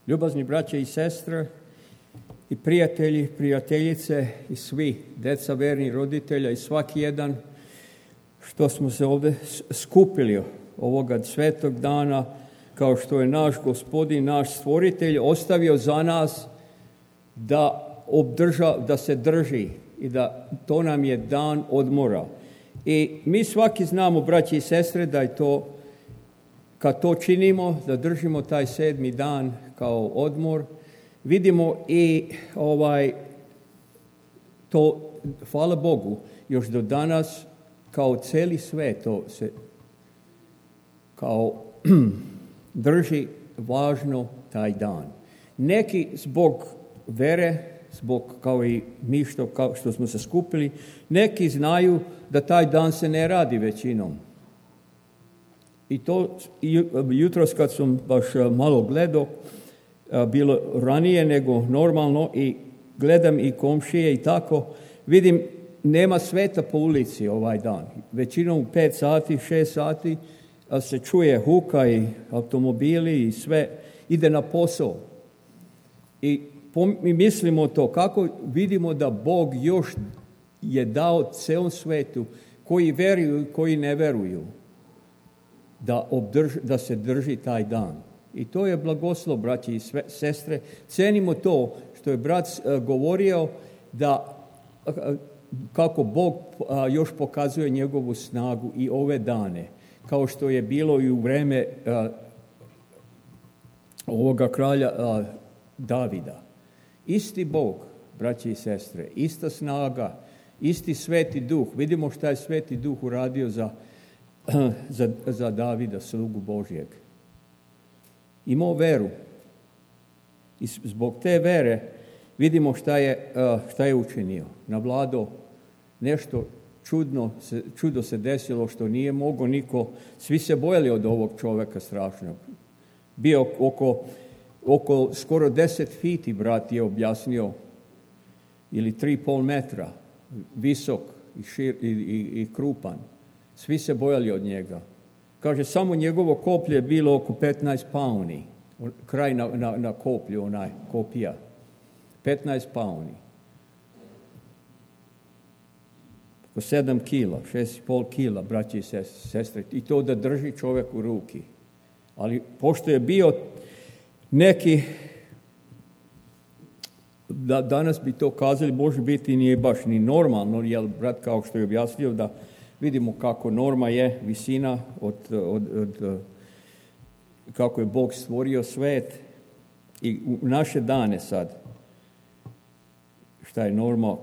Ljubazni braće i sestre i prijatelji, prijateljice i svi, deca verni roditelja i svaki jedan što smo se ovdje skupili ovoga svetog dana, kao što je naš Gospodin, naš stvoritelj ostavio za nas da se drži i da to nam je dan odmora. I mi svaki znamo, braći i sestre, da je to, kad to činimo, da držimo taj 7. dan kao odmor, vidimo i to, hvala Bogu, još do danas kao cijeli svijet to se kao drži važno taj dan. Neki zbog vere, zbog kao i mi što smo se skupili, neki znaju da taj dan se ne radi većinom. I to jutros kad sam baš malo gledao, bilo ranije nego normalno i gledam i komšije i tako, vidim nema sveta po ulici ovaj dan. Većinom u 5 sati, 6 sati se čuje huka i automobili i sve ide na posao. I mi mislimo to, kako vidimo da Bog još je dao cijelom svetu, koji veruju i koji ne veruju, da se drži taj dan. I to je blagoslov, braći i sestre. Cenimo to što je brat govorio da kako Bog još pokazuje njegovu snagu i ove dane, kao što je bilo i u vrijeme ovoga kralja Davida. Isti Bog, braći i sestre, ista snaga, isti Sveti Duh. Vidimo šta je Sveti Duh uradio za Davida, slugu Božjeg. Imao veru. I zbog te vere vidimo šta je učinio. Navladao nešto čudo se desilo što nije mogao niko. Svi se bojali od ovog čovjeka strašnog. Bio oko skoro 10 fiti, brat je objasnio, ili 3,5 metra, visok i krupan. Svi se bojali od njega. Kaže, samo njegovo koplje je bilo oko 15 pauni. Kraj na koplju, onaj kopija. 15 pauni. Oko 7 kila, 6,5 kila, braći i sestre. I to da drži čovjek u ruki. Ali pošto je bio neki, danas bi to kazali, može biti nije baš ni normalno, jer brat kao što je objasnio da vidimo kako norma je, visina od kako je Bog stvorio svet i u naše dane sad. Šta je norma,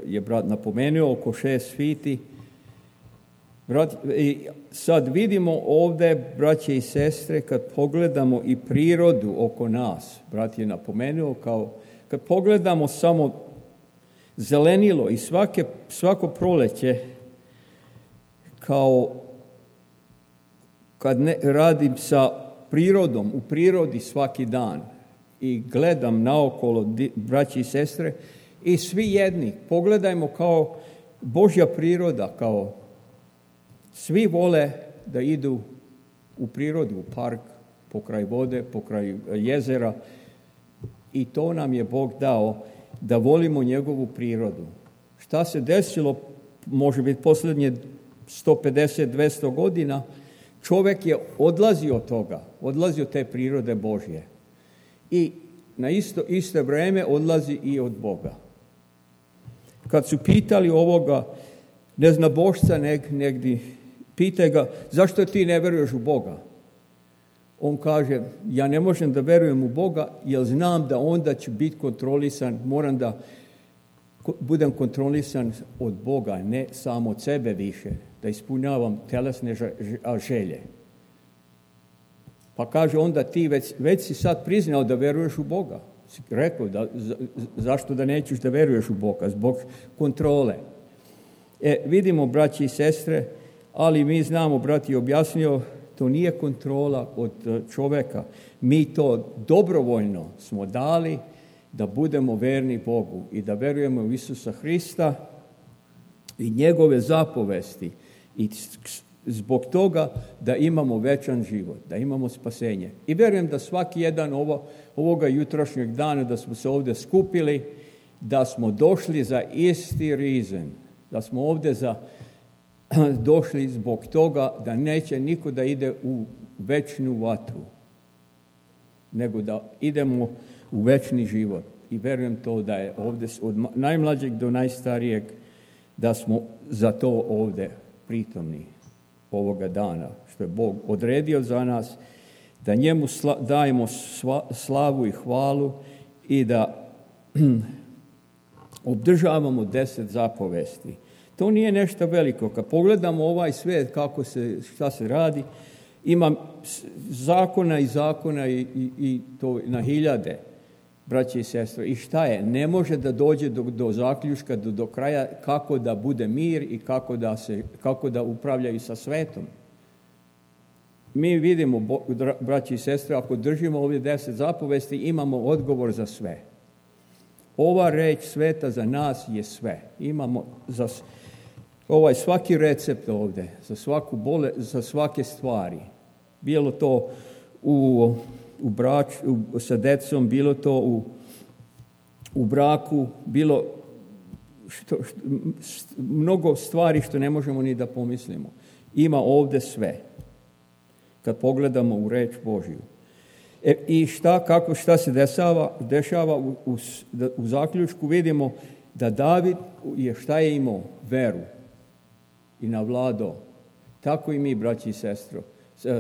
je brat napomenuo, oko 6 fiti. I sad vidimo ovdje, braće i sestre, kad pogledamo i prirodu oko nas, brat je napomenuo, kad pogledamo samo zelenilo i svako proleće, kao kad radim sa prirodom, u prirodi svaki dan i gledam naokolo, braći i sestre, i svi jedni, pogledajmo kao Božja priroda, kao svi vole da idu u prirodu, u park, pokraj vode, pokraj jezera, i to nam je Bog dao da volimo njegovu prirodu. Šta se desilo, može biti posljednje 150-200 godina, čovjek je odlazio od toga, odlazio od te prirode Božje. I na isto vrijeme odlazi i od Boga. Kad su pitali ovoga neznabošca negdje, pitaj ga, zašto ti ne veruješ u Boga? On kaže, ja ne možem da verujem u Boga, jer znam da onda ću biti kontrolisan, moram da budem kontrolisan od Boga, ne samo od sebe više, da ispunjavam telesne želje. Pa kaže, onda ti već si sad priznao da veruješ u Boga. Si rekao, zašto da nećeš da veruješ u Boga? Zbog kontrole. Vidimo, braći i sestre, ali mi znamo, brat je objasnio, to nije kontrola od čovjeka. Mi to dobrovoljno smo dali da budemo verni Bogu i da verujemo u Isusa Hrista i njegove zapovesti i zbog toga da imamo večan život, da imamo spasenje. I vjerujem da svaki jedan ovoga jutrošnjeg dana da smo se ovdje skupili, da smo došli za isti reason, da smo ovdje došli zbog toga da neće niko da ide u večnu vatru, nego da idemo u večni život. I vjerujem to da je ovdje od najmlađeg do najstarijeg da smo za to ovdje pritomni ovoga dana, što je Bog odredio za nas, da njemu dajemo slavu i hvalu i da obdržavamo 10 zapovesti. To nije nešto veliko. Kad pogledamo ovaj svijet, šta se radi, ima zakona i to na hiljade, braće i sestre. I šta je? Ne može da dođe do zaključka, do kraja kako da bude mir i kako da upravljaju sa svetom. Mi vidimo, braće i sestre, ako držimo ovdje 10 zapovesti, imamo odgovor za sve. Ova reč sveta za nas je sve. Imamo za svaki recept ovdje, za svake stvari. Bilo to u sa decom, bilo to u braku, bilo mnogo stvari što ne možemo ni da pomislimo. Ima ovdje sve. Kad pogledamo u reč Božju. I šta se dešava u zaključku, vidimo da David je šta je imao? Veru. I navladao. Tako i mi, braći i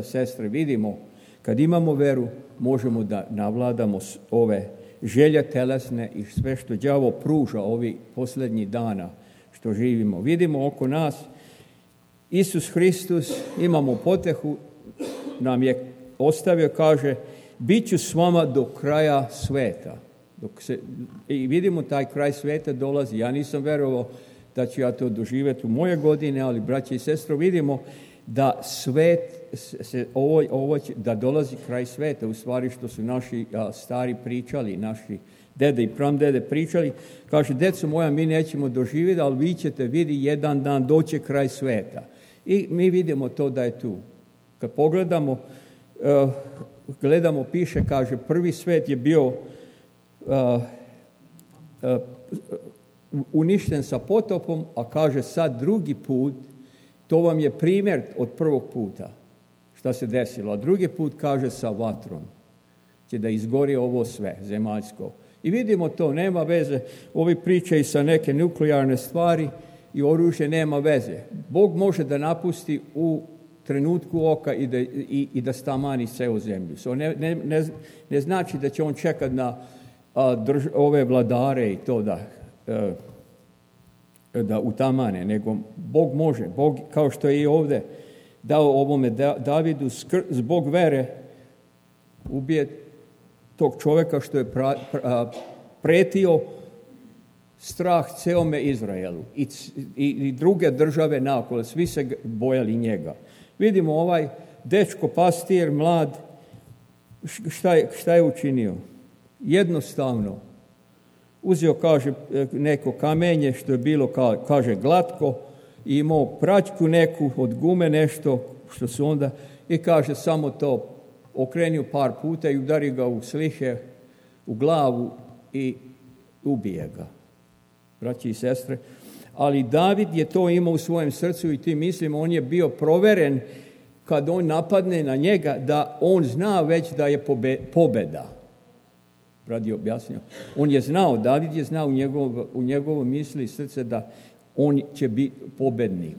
sestre, vidimo, kad imamo veru, možemo da navladamo ove želje telesne i sve što đavo pruža ovih posljednjih dana što živimo. Vidimo oko nas, Isus Hristus, imamo potehu, nam je ostavio, kaže, bit ću s vama do kraja sveta. I vidimo taj kraj sveta dolazi. Ja nisam verovao da ću ja to doživjeti u moje godine, ali braće i sestre, vidimo da svet, da dolazi kraj sveta, u stvari što su naši stari pričali, naši dede i pramdede pričali, kaže, deco moja, mi nećemo doživjeti, ali vi ćete vidjeti jedan dan doći kraj sveta. I mi vidimo to da je tu. Kad pogledamo, piše, kaže, prvi svet je bio uništen sa potopom, a kaže sad drugi put, to vam je primjer od prvog puta šta se desilo. A drugi put, kaže, sa vatrom će da izgori ovo sve zemaljsko. I vidimo to, nema veze, ovi pričaju sa neke nuklearne stvari i oružje nema veze. Bog može da napusti u trenutku oka i da stamani celu zemlju. Ne znači da će on čekati na ove vladare i to da utamane, nego Bog može. Bog, kao što je i ovdje dao ovome Davidu, zbog vere ubije tog čovjeka što je pretio strah celome Izraelu i druge države naokolo, svi se bojali njega. Vidimo ovaj dečko, pastir, mlad, šta je učinio? Jednostavno uzeo, kaže, neko kamenje što je bilo, kaže, glatko, i imao praćku neku od gume, nešto što su onda, i kaže, samo to okrenio par puta i udari ga u slihe, u glavu i ubije ga. Braći i sestre, ali David je to imao u svojem srcu i ti mislimo, on je bio proveren kad on napadne na njega, da on zna već da je pobeda. Radi objasnio. On je znao, David je znao u njegovoj misli i srce da on će biti pobednik.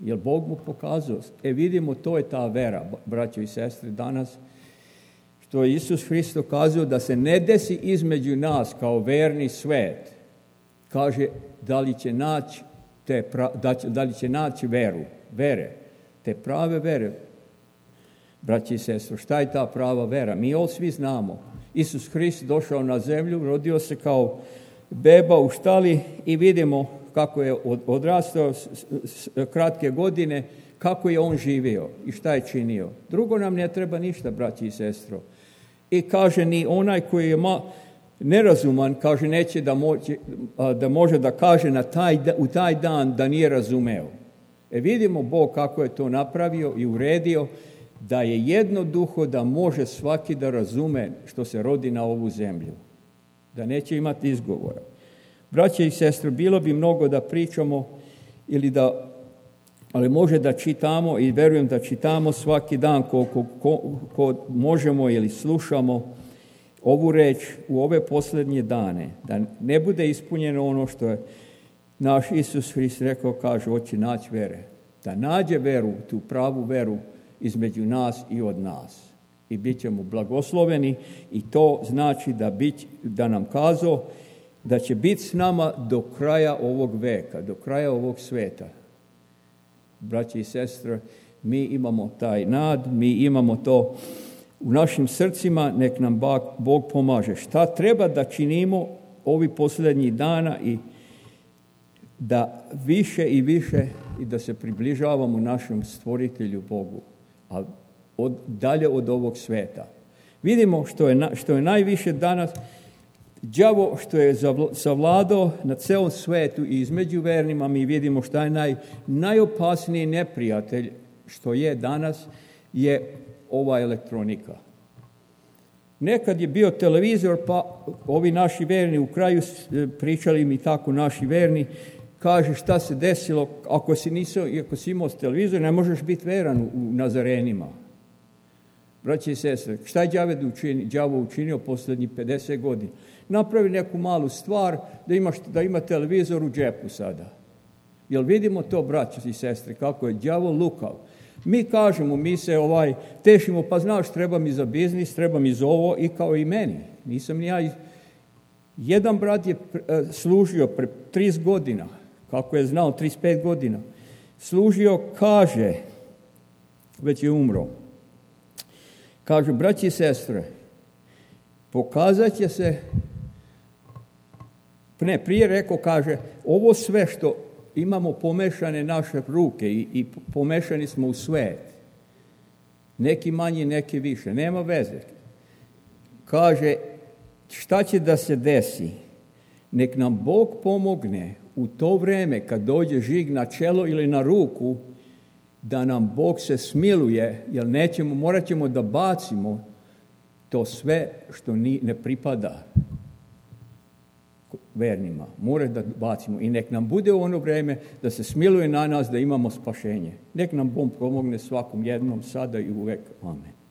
Jer Bog mu pokazao. Vidimo, to je ta vera, braćo i sestre, danas, što je Isus Hristos kazao da se ne desi između nas kao verni svet. Kaže, da li će naći vere, te prave vere. Braći i sestre, šta je ta prava vera? Mi ovo svi znamo. Isus Hrist došao na zemlju, rodio se kao beba u štali i vidimo kako je odrastao kratke godine, kako je on živio i šta je činio. Drugo nam ne treba ništa, braći i sestro. I kaže, ni onaj koji je nerazuman, kaže, neće da može da kaže u taj dan da nije razumeo. Vidimo Bog kako je to napravio i uredio, da je jedno duho da može svaki da razume što se rodi na ovu zemlju. Da neće imati izgovora. Braće i sestre, bilo bi mnogo da pričamo ali može da čitamo i verujem da čitamo svaki dan koliko možemo ili slušamo ovu reč u ove posljednje dane. Da ne bude ispunjeno ono što je naš Isus Hrist rekao, kaže, hoće naći vere. Da nađe veru, tu pravu veru između nas i od nas. I bit ćemo blagosloveni i to znači da nam kazao da će biti s nama do kraja ovog veka, do kraja ovog sveta. Braći i sestre, mi imamo taj nad, mi imamo to u našim srcima, nek nam Bog pomaže. Šta treba da činimo ovi posljednjih dana i da više i više i da se približavamo našem stvoritelju Bogu, a dalje od ovog sveta. Vidimo što je najviše danas đavo što je savladao na celom svetu i između vernima. Mi vidimo što je najopasniji neprijatelj što je danas je ova elektronika. Nekad je bio televizor, pa ovi naši verni u kraju pričali mi tako naši verni, kaže šta se desilo, ako si imao televizor, ne možeš biti veran u Nazarenima. Braći i sestre, šta je đavo učinio posljednjih 50 godina? Napravi neku malu stvar da ima televizor u džepu sada. Jel vidimo to, braći i sestre, kako je đavo lukav? Mi kažemo, mi se tešimo, pa znaš, treba mi za biznis, treba mi za ovo, i kao i meni. Nisam ni ja. Jedan brat je služio pre 30 godina, kako je znao, 35 godina. Služio, kaže, već je umro. Kaže, braći i sestre, pokazat će se, prije rekao, kaže, ovo sve što imamo pomešane naše ruke i pomešani smo u svet. Neki manje, neki više. Nema veze. Kaže, šta će da se desi? Nek nam Bog pomogne u to vreme kad dođe žig na čelo ili na ruku, da nam Bog se smiluje, jer morat ćemo da bacimo to sve što ne pripada vernima. Mora da bacimo i nek nam bude u ono vreme da se smiluje na nas, da imamo spašenje. Nek nam Bog pomogne svakom jednom, sada i uvek. Amen.